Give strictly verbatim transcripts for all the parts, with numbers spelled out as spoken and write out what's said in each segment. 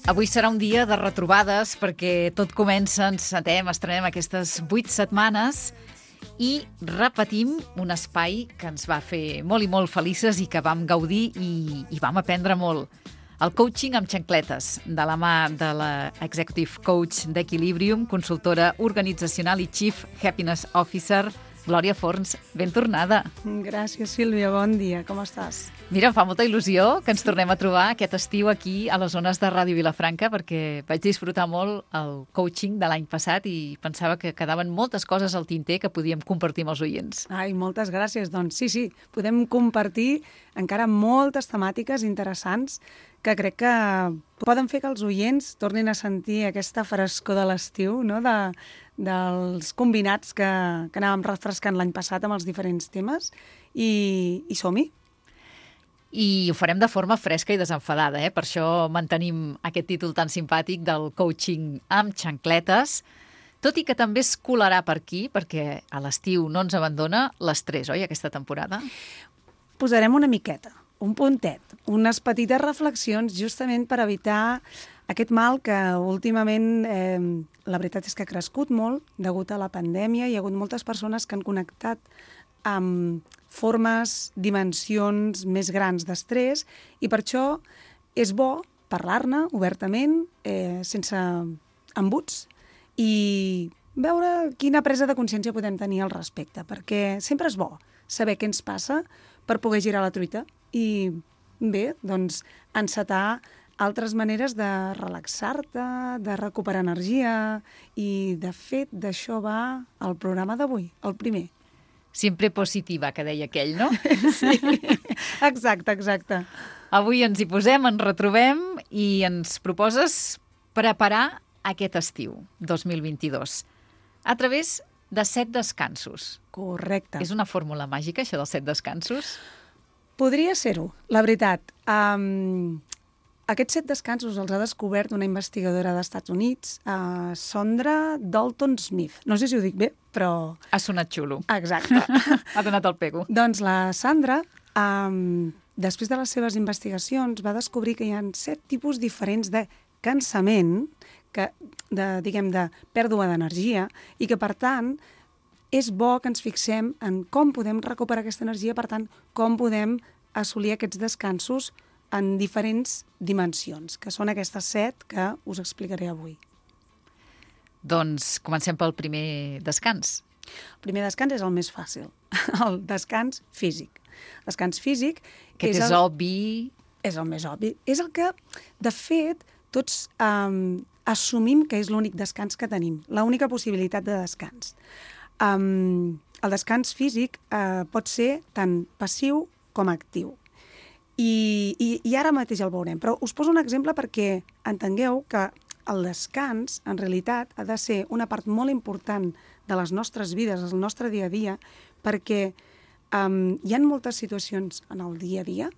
Avui serà un dia de retrobades perquè tot comença, ens sentem, estrenem aquestes vuit setmanes i repetim un espai que ens va fer molt i molt felices i que vam gaudir i, i vam aprendre molt. El coaching amb xancletes, de la mà de la Executive Coach d'Equilibrium, consultora organitzacional i Chief Happiness Officer, Glòria Forns, ben tornada. Gràcies, Sílvia, bon dia, com estàs? Mira, em fa molta il·lusió que ens tornem a trobar aquest estiu aquí a les zones de Ràdio Vilafranca perquè vaig disfrutar molt el coaching de l'any passat i pensava que quedaven moltes coses al tinter que podíem compartir amb els oients. Ai, moltes gràcies. Doncs sí, sí, podem compartir encara moltes temàtiques interessants que crec que poden fer que els oients tornin a sentir aquesta frescor de l'estiu, no?, de, dels combinats que, que anàvem refrescant l'any passat amb els diferents temes i, i som-hi. I ho farem de forma fresca i desenfadada, eh? Per això mantenim aquest títol tan simpàtic del coaching amb xancletes, tot i que també es colarà per aquí, perquè a l'estiu no ens abandona l'estrès, oi, aquesta temporada? Posarem una miqueta, un puntet, unes petites reflexions justament per evitar aquest mal que últimament eh, la veritat és que ha crescut molt degut a la pandèmia. Hi ha hagut moltes persones que han connectat amb formes, dimensions més grans d'estrès i per això és bo parlar-ne obertament, eh, sense embuts i veure quina presa de consciència podem tenir al respecte, perquè sempre és bo saber què ens passa per poder girar la truita i bé, doncs encetar altres maneres de relaxar-te, de recuperar energia i de fet d'això va el programa d'avui, el primer. Sempre positiva, que deia aquell, no? Sí, exacte, exacte. Avui ens hi posem, ens retrobem i ens proposes preparar aquest estiu dos mil vint-i-dos a través de set descansos. Correcte. És una fórmula màgica, això dels set descansos? Podria ser-ho, la veritat. Um, aquests set descansos els ha descobert una investigadora dels Estats Units, uh, Sondra Dalton-Smith. No sé si ho dic bé, però... Ha sonat xulo. Exacte. Ha donat el pego. Doncs la Sandra, um, després de les seves investigacions, va descobrir que hi ha set tipus diferents de cansament, que, de, diguem, de pèrdua d'energia, i que, per tant, és bo que ens fixem en com podem recuperar aquesta energia, per tant, com podem assolir aquests descansos en diferents dimensions, que són aquestes set que us explicaré avui. Doncs comencem pel primer descans. El primer descans és el més fàcil, el descans físic. Descans físic... Que és, és el... obvi... És el més obvi. És el que, de fet, tots um, assumim que és l'únic descans que tenim, l'única possibilitat de descans. Um, el descans físic uh, pot ser tant passiu com actiu. I, i, I ara mateix el veurem. Però us poso un exemple perquè entengueu que el descans, en realitat, ha de ser una part molt important de les nostres vides, del nostre dia a dia, perquè um, hi ha moltes situacions en el dia a dia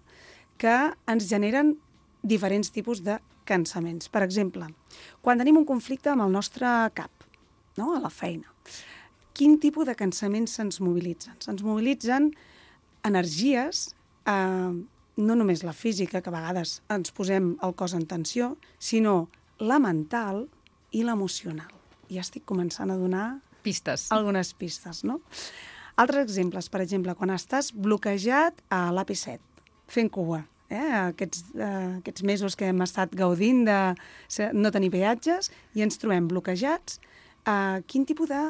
que ens generen diferents tipus de cansaments. Per exemple, quan tenim un conflicte amb el nostre cap, no?, a la feina, quin tipus de cansaments se'ns mobilitzen? Se'ns mobilitzen energies, eh, no només la física, que a vegades ens posem el cos en tensió, sinó la mental i l'emocional. Ja estic començant a donar pistes. Algunes pistes, no? Altres exemples, per exemple, quan estàs bloquejat a l'A P set, fent cua, eh? aquests, eh, aquests mesos que hem estat gaudint de no tenir peatges i ens trobem bloquejats, eh, quin tipus de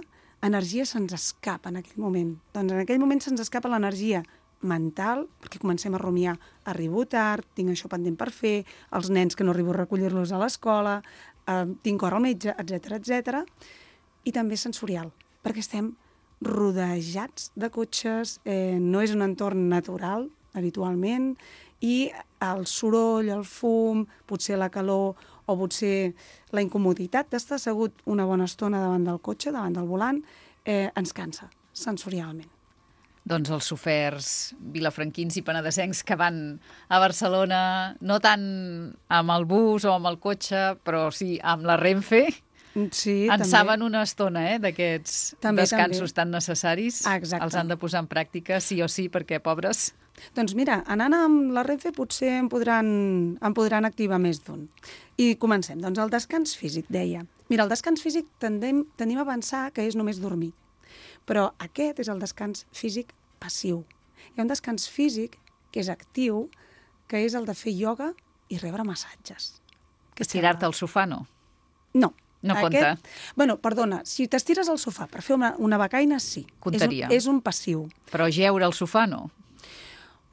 energia se'ns escapa en aquell moment? Doncs en aquell moment se'ns escapa l'energia mental, perquè comencem a rumiar, arribo tard, tinc això pendent per fer, els nens que no arribo a recollir-los a l'escola, eh, tinc cor al metge, etcètera, etcètera, i també sensorial, perquè estem rodejats de cotxes, eh, no és un entorn natural, habitualment, i el soroll, el fum, potser la calor o potser la incomoditat d'estar assegut una bona estona davant del cotxe, davant del volant, eh, ens cansa sensorialment. Doncs els soferts vilafranquins i penedesencs que van a Barcelona, no tant amb el bus o amb el cotxe, però sí amb la Renfe, Sí, en també. saben una estona, eh, d'aquests També, descansos també. tan necessaris. Exacte. Els han de posar en pràctica sí o sí, perquè, pobres... Doncs mira, anant amb la Renfe potser en podran, en podran activar més d'un. I comencem. Doncs el descans físic, deia. Mira, el descans físic tendem, tendim a pensar que és només dormir. Però aquest és el descans físic passiu. Hi ha un descans físic que és actiu, que és el de fer ioga i rebre massatges. Estirar-te al sofà, no? No. No Aquest, compta. Bueno, perdona, si t'estires al sofà per fer una, una becaina, sí. Comptaria. És un, és un passiu. Però jeure al sofà, no?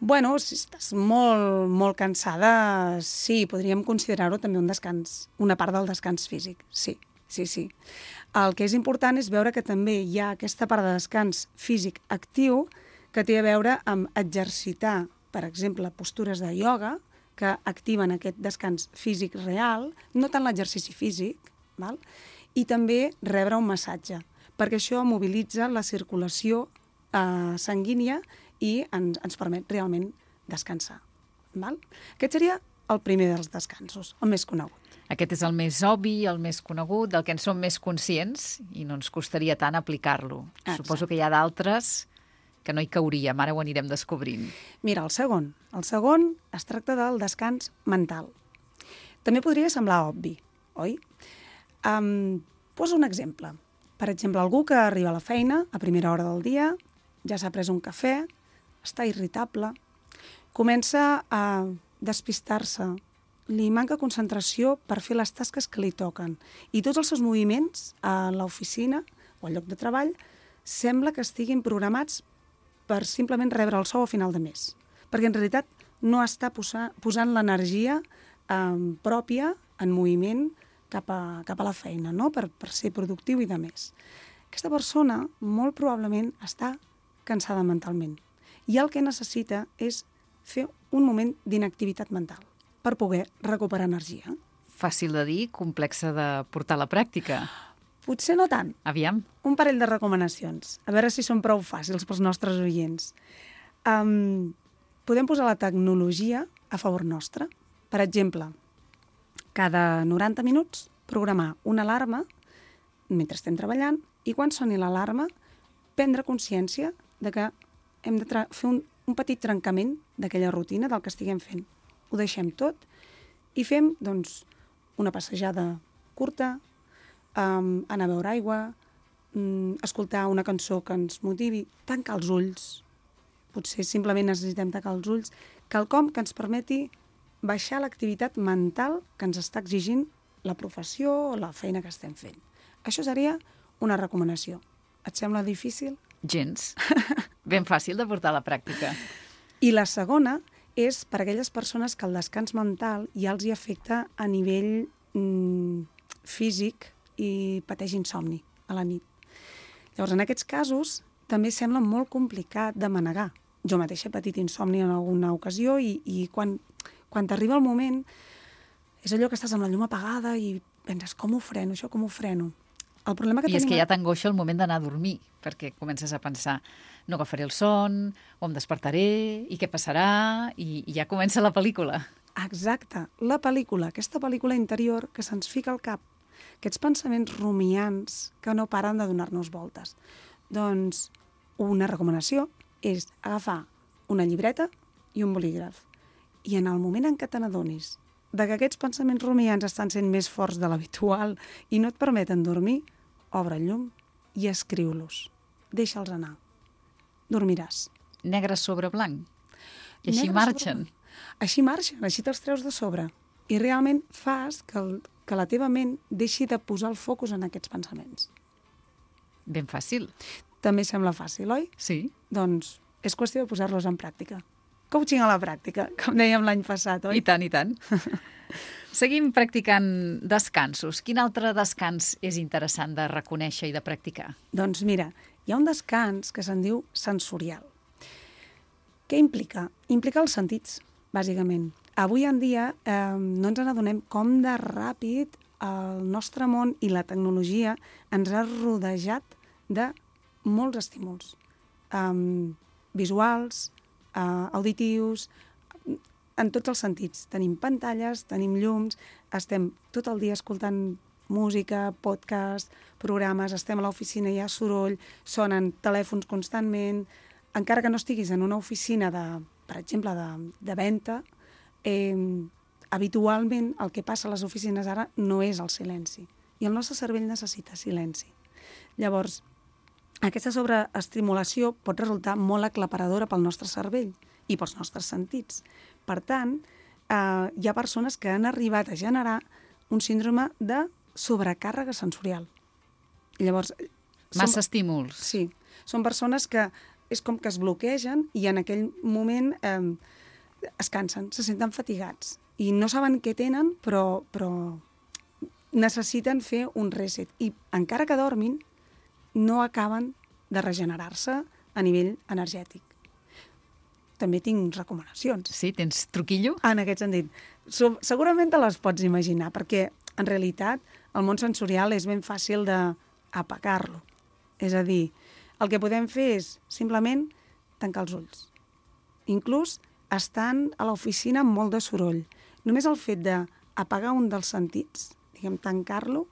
Bueno, si estàs molt, molt cansada, sí, podríem considerar-ho també un descans, una part del descans físic, sí, sí, sí. El que és important és veure que també hi ha aquesta part de descans físic actiu que té a veure amb exercitar, per exemple, postures de ioga que activen aquest descans físic real, no tant l'exercici físic, val? I també rebre un massatge, perquè això mobilitza la circulació eh, sanguínia i ens, ens permet realment descansar. Val? Aquest seria el primer dels descansos, el més conegut. Aquest és el més obvi, el més conegut, del que en som més conscients i no ens costaria tant aplicar-lo. Exacte. Suposo que hi ha d'altres que no hi cauríem, ara ho anirem descobrint. Mira, el segon. El segon es tracta del descans mental. També podria semblar obvi, oi? Um, poso un exemple. Per exemple, algú que arriba a la feina a primera hora del dia, ja s'ha pres un cafè, està irritable, comença a despistar-se, li manca concentració per fer les tasques que li toquen i tots els seus moviments a l'oficina o al lloc de treball sembla que estiguin programats per simplement rebre el sou a final de mes, perquè en realitat no està posa, posant l'energia eh, pròpia en moviment cap a, cap a la feina, no? per, per ser productiu i de més. Aquesta persona molt probablement està cansada mentalment i el que necessita és fer un moment d'inactivitat mental per poder recuperar energia. Fàcil de dir, complexa de portar a la pràctica. Potser no tant. Aviam. Un parell de recomanacions, a veure si són prou fàcils pels nostres oients. Um, podem posar la tecnologia a favor nostre. Per exemple, cada noranta minuts programar una alarma mentre estem treballant i quan soni l'alarma prendre consciència de que hem de fer un, un petit trencament d'aquella rutina del que estiguem fent. Ho deixem tot i fem doncs, una passejada curta, um, anar a beure aigua, um, escoltar una cançó que ens motivi, tancar els ulls. Potser simplement necessitem tancar els ulls, quelcom que ens permeti baixar l'activitat mental que ens està exigint la professió o la feina que estem fent. Això seria una recomanació. Et sembla difícil? Gens. Ben fàcil de portar a la pràctica. I la segona és per a aquelles persones que el descans mental ja els hi afecta a nivell mm, físic i pateix insomni a la nit. Llavors, en aquests casos, també sembla molt complicat de manegar. Jo mateixa he patit insomni en alguna ocasió i, i quan, quan t'arriba el moment és allò que estàs amb la llum apagada i penses, com ho freno, això, com ho freno? El problema que I és tenim... que ja t'angoixa el moment d'anar a dormir, perquè comences a pensar, no agafaré el son, o em despertaré, i què passarà, i, i ja comença la pel·lícula. Exacte, la pel·lícula, aquesta pel·lícula interior que se'ns fica al cap, aquests pensaments rumiants que no paren de donar-nos voltes. Doncs una recomanació és agafar una llibreta i un bolígraf. I en el moment en què te n'adonis de que aquests pensaments rumiants estan sent més forts de l'habitual i no et permeten dormir, obre el llum i escriu-los. Deixa'ls anar. Dormiràs. Negre sobre blanc. I així Negre marxen. sobre... Així marxen, així te'ls treus de sobre. I realment fas que, el, que la teva ment deixi de posar el focus en aquests pensaments. Ben fàcil. També sembla fàcil, oi? Sí. Doncs és qüestió de posar-los en pràctica. Coaching a la pràctica, com dèiem l'any passat, oi? I tant, i tant. Seguim practicant descansos. Quin altre descans és interessant de reconèixer i de practicar? Doncs mira, hi ha un descans que se'n diu sensorial. Què implica? Implica els sentits, bàsicament. Avui en dia eh, no ens n'adonem com de ràpid el nostre món i la tecnologia ens ha rodejat de molts estímuls. Um, visuals, Uh, auditius, en tots els sentits. Tenim pantalles, tenim llums, estem tot el dia escoltant música, podcast, programes, estem a l'oficina, hi ha soroll, sonen telèfons constantment, encara que no estiguis en una oficina, de, per exemple, de, de venda, eh, habitualment el que passa a les oficines ara no és el silenci. I el nostre cervell necessita silenci. Llavors, aquesta sobreestimulació pot resultar molt aclaparadora pel nostre cervell i pels nostres sentits. Per tant, eh, hi ha persones que han arribat a generar un síndrome de sobrecàrrega sensorial. Llavors, Massa som, estímuls. Sí, són persones que és com que es bloquegen i en aquell moment eh, es cansen, se senten fatigats i no saben què tenen, però, però necessiten fer un reset. I encara que dormin, no acaben de regenerar-se a nivell energètic. També tinc recomanacions. Sí, tens truquillo? En aquest sentit. So, segurament te les pots imaginar, perquè en realitat el món sensorial és ben fàcil d'apagar-lo. És a dir, el que podem fer és simplement tancar els ulls. Inclús estant a l'oficina amb molt de soroll. Només el fet d'apagar un dels sentits, diguem, tancar-lo,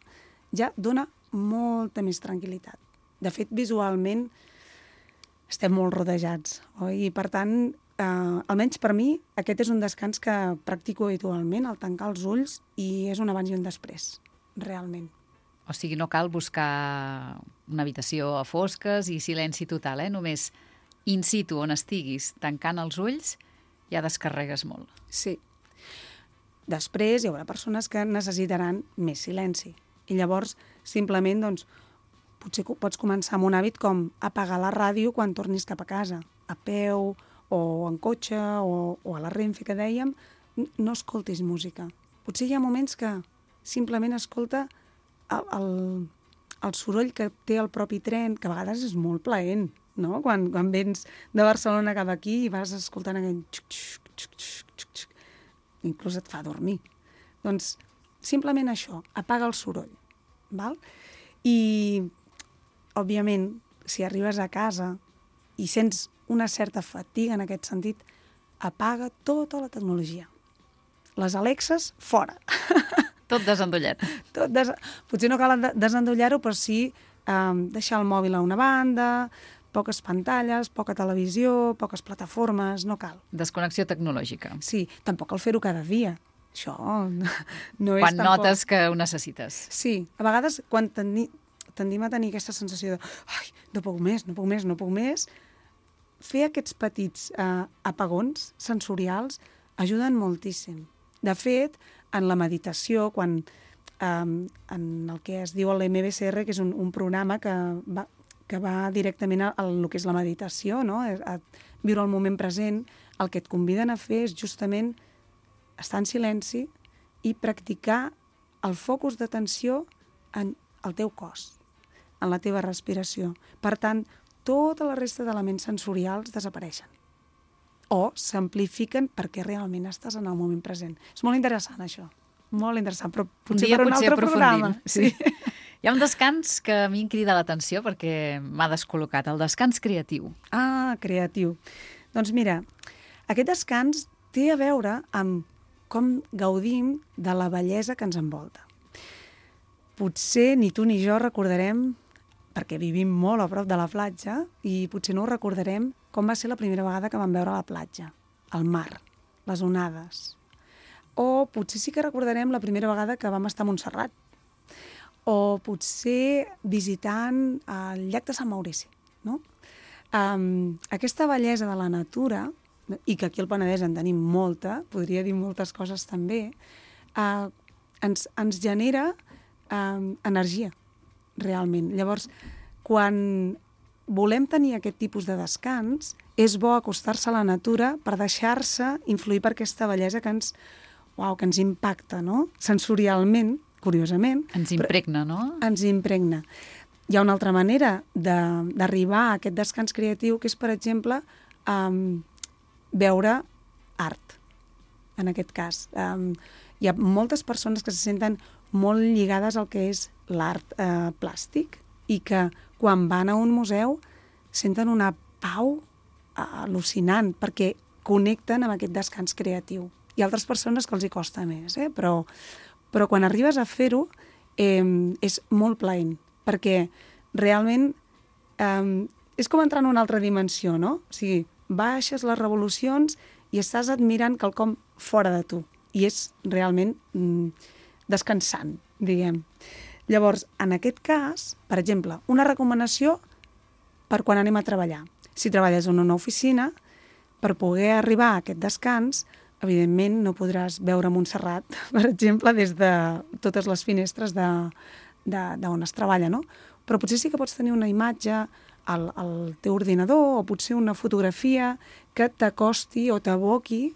ja dona molta més tranquil·litat. De fet, visualment estem molt rodejats, oi? I per tant, eh, almenys per mi, aquest és un descans que practico habitualment, el tancar els ulls, i és un abans i un després, realment. O sigui, no cal buscar una habitació a fosques i silenci total, eh? Només in situ, on estiguis, tancant els ulls, ja descarregues molt. Sí. Després hi haurà persones que necessitaran més silenci. I llavors, simplement, doncs, potser pots començar amb un hàbit com apagar la ràdio quan tornis cap a casa, a peu, o en cotxe, o, o a la Renfe, que dèiem, no escoltis música. Potser hi ha moments que simplement escolta el, el, el soroll que té el propi tren, que a vegades és molt plaent, no? Quan, quan vens de Barcelona cap aquí i vas escoltant aquell xuc, xuc, xuc, xuc, xuc, xuc. Inclús et fa dormir. Doncs simplement això, apaga el soroll. Val? I, òbviament, si arribes a casa i sents una certa fatiga en aquest sentit, apaga tota la tecnologia. Les Alexes, fora. Tot desendollat. Tot des... Potser no cal desendollar-ho, però sí eh, deixar el mòbil a una banda, poques pantalles, poca televisió, poques plataformes, no cal. Desconnexió tecnològica. Sí, tampoc cal fer-ho cada dia. Això no és Quan tampoc... notes que ho necessites. Sí, a vegades quan tendi... tendim a tenir aquesta sensació de ai, no puc més, no puc més, no puc més, fer aquests petits eh, apagons sensorials ajuden moltíssim. De fet, en la meditació, quan eh, en el que es diu l'M B C R, que és un, un programa que va, que va directament a, a el que és la meditació, no? a, a viure el moment present, el que et conviden a fer és justament estar en silenci i practicar el focus d'atenció en el teu cos, en la teva respiració. Per tant, tota la resta d'elements sensorials desapareixen o s'amplifiquen perquè realment estàs en el moment present. És molt interessant, això. Molt interessant, però potser un dia per un potser altre programa. Sí. Hi ha un descans que a mi em crida l'atenció perquè m'ha descol·locat, el descans creatiu. Ah, creatiu. Doncs mira, aquest descans té a veure amb com gaudim de la bellesa que ens envolta. Potser ni tu ni jo recordarem, perquè vivim molt a prop de la platja, i potser no ho recordarem com va ser la primera vegada que vam veure la platja, el mar, les onades. O potser sí que recordarem la primera vegada que vam estar a Montserrat. O potser visitant el llac de Sant Maurici, no? Um, aquesta bellesa de la natura, i que aquí al Penedès en tenim molta, podria dir moltes coses també, uh, ens, ens genera uh, energia, realment. Llavors, quan volem tenir aquest tipus de descans, és bo acostar-se a la natura per deixar-se influir per aquesta bellesa que ens, uau, que ens impacta, no? Sensorialment, curiosament. Ens impregna, no? Ens impregna. Hi ha una altra manera d'arribar a aquest descans creatiu, que és, per exemple, um, veure art, en aquest cas. Um, hi ha moltes persones que se senten molt lligades al que és l'art eh, plàstic i que quan van a un museu senten una pau eh, al·lucinant perquè connecten amb aquest descans creatiu. Hi ha altres persones que els hi costa més, eh? però, però quan arribes a fer-ho eh, és molt plaent, perquè realment eh, és com entrar en una altra dimensió, no? O sigui, baixes les revolucions i estàs admirant quelcom fora de tu. I és realment mm, descansant, diguem. Llavors, en aquest cas, per exemple, una recomanació per quan anem a treballar. Si treballes en una oficina, per poder arribar a aquest descans, evidentment no podràs veure Montserrat, per exemple, des de totes les finestres d'on es treballa, no? Però potser sí que pots tenir una imatge al, al teu ordinador o potser una fotografia que t'acosti o t'aboqui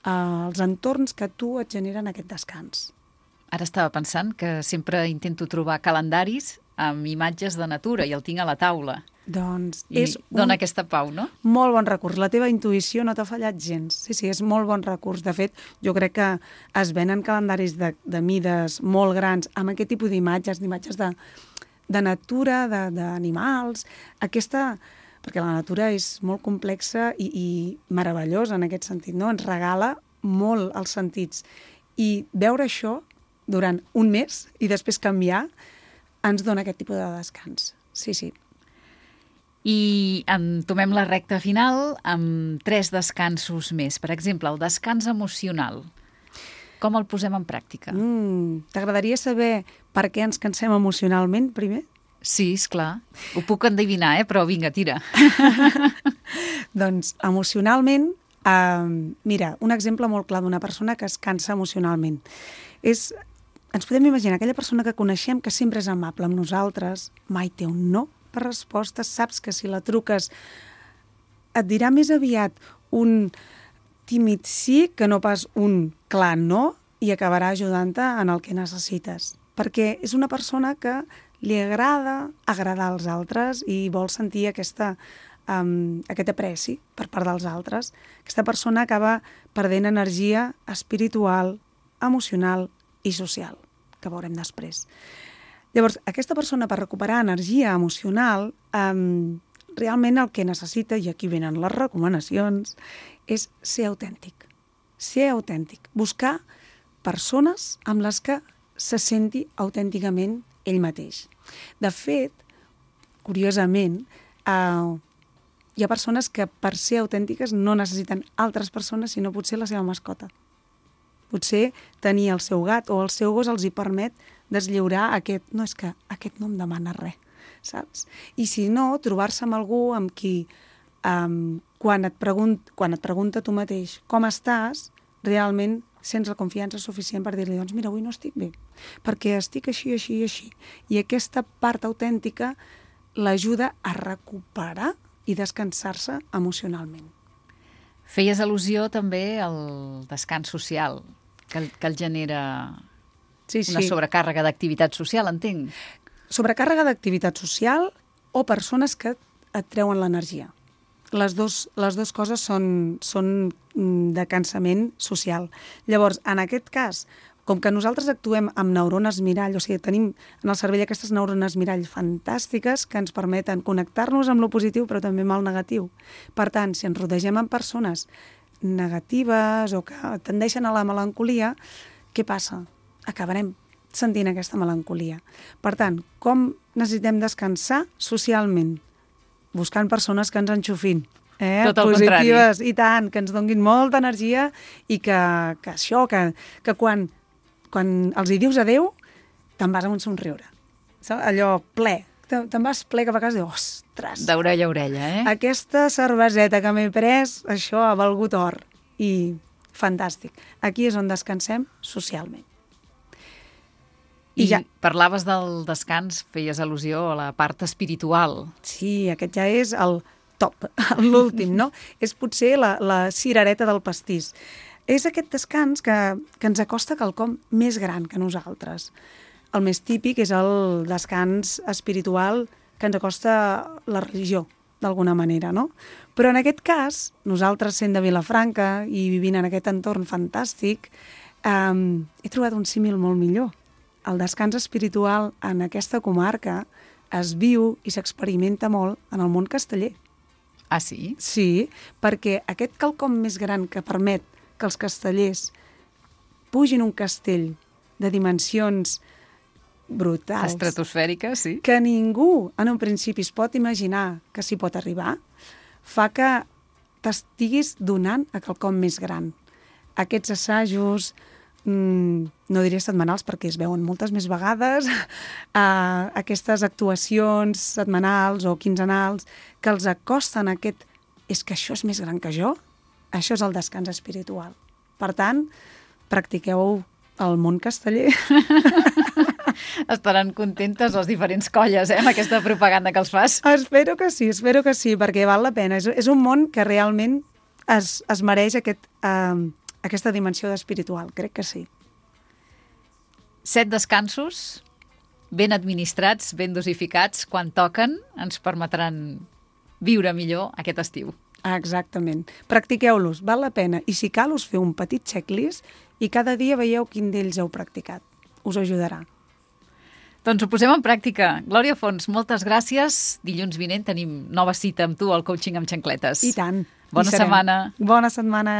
als entorns que a tu et generen aquest descans. Ara estava pensant que sempre intento trobar calendaris amb imatges de natura i el tinc a la taula. Doncs I és dona un aquesta pau, no? molt bon recurs. La teva intuïció no t'ha fallat gens. Sí, sí, és molt bon recurs. De fet, jo crec que es venen calendaris de, de mides molt grans amb aquest tipus d'imatges, d'imatges de, de natura, d'animals. Aquesta... perquè la natura és molt complexa i, i meravellosa en aquest sentit, no? Ens regala molt els sentits. I veure això durant un mes i després canviar ens dona aquest tipus de descans. Sí, sí. I entomem la recta final amb tres descansos més. Per exemple, el descans emocional. Com el posem en pràctica? Mm, T'agradaria saber per què ens cansem emocionalment, primer? Sí, esclar. Ho puc endevinar, eh? Però vinga, tira. Doncs emocionalment, eh, mira, un exemple molt clar d'una persona que es cansa emocionalment. És, ens podem imaginar aquella persona que coneixem que sempre és amable amb nosaltres, mai té un no per resposta, saps que si la truques et dirà més aviat un tímid sí que no pas un clar no i acabarà ajudant-te en el que necessites. Perquè és una persona que li agrada agradar als altres i vol sentir aquesta, um, aquest apreci per part dels altres. Aquesta persona acaba perdent energia espiritual, emocional i social, que veurem després. Llavors, aquesta persona, per recuperar energia emocional, um, realment el que necessita, i aquí venen les recomanacions, és ser autèntic. Ser autèntic. Buscar persones amb les que se senti autènticament ell mateix. De fet, curiosament, eh, hi ha persones que per ser autèntiques no necessiten altres persones, sinó potser la seva mascota. Potser tenir el seu gat o el seu gos els hi permet deslliurar aquest... No, és que aquest no em demana res, saps? I si no, trobar-se amb algú amb qui, um, quan, et pregunt, quan et pregunta tu mateix com estàs, realment sents la confiança suficient per dir-li, doncs mira, avui no estic bé, perquè estic així, així i així. I aquesta part autèntica l'ajuda a recuperar i descansar-se emocionalment. Feies al·lusió també al descans social, que, que el genera sí, sí. una sobrecàrrega d'activitat social, entenc. Sobrecàrrega d'activitat social o persones que et treuen l'energia. Les dos, les dues coses són, són de cansament social. Llavors, en aquest cas, com que nosaltres actuem amb neurones mirall, o sigui, tenim en el cervell aquestes neurones mirall fantàstiques que ens permeten connectar-nos amb lo positiu però també amb el negatiu. Per tant, si ens rodegem amb persones negatives o que tendeixen a la melancolia, què passa? Acabarem sentint aquesta melancolia. Per tant, com necessitem descansar socialment? Buscant persones que ens enxufin, eh? Tot el positives, contrari. I tant, que ens donguin molta energia i que, que això, que, que quan, quan els hi dius adeu, te'n vas amb un somriure. Saps? Allò ple. Te, te'n vas ple cap a casa i dius, ostres, d'orella a orella, eh? aquesta cerveseta que m'he pres, això ha valgut or. I fantàstic. Aquí és on descansem socialment. I, I ja parlaves del descans, feies al·lusió a la part espiritual. Sí, aquest ja és el top, l'últim, no? És potser la, la cirereta del pastís. És aquest descans que, que ens acosta quelcom més gran que nosaltres. El més típic és el descans espiritual que ens acosta la religió, d'alguna manera, no? Però en aquest cas, nosaltres sent de Vilafranca i vivint en aquest entorn fantàstic, eh, he trobat un símil molt millor. El descans espiritual en aquesta comarca es viu i s'experimenta molt en el món casteller. Ah, sí? Sí, perquè aquest quelcom més gran que permet que els castellers pugin un castell de dimensions brutals. Estratosfèriques, sí. Que ningú, en un principi, es pot imaginar que s'hi pot arribar, fa que t'estiguis donant a quelcom més gran. Aquests assajos, mmm, no diré setmanals perquè es veuen moltes més vegades, uh, aquestes actuacions setmanals o quinzenals que els acosten a aquest és que això és més gran que jo, això és el descans espiritual. Per tant, practiqueu el món casteller. Estaran contentes les diferents colles, eh, amb aquesta propaganda que els fas. Espero que sí, espero que sí, perquè val la pena. És, és un món que realment es, es mereix aquest, uh, aquesta dimensió espiritual, crec que sí. Set descansos ben administrats, ben dosificats, quan toquen, ens permetran viure millor aquest estiu. Exactament. Practiqueu-los, val la pena. I si cal, us feu un petit checklist i cada dia veieu quin d'ells heu practicat. Us ajudarà. Doncs ho posem en pràctica. Glòria Fons, moltes gràcies. Dilluns vinent tenim nova cita amb tu al Coaching amb Xancletes. I tant. Bona setmana. Bona setmana.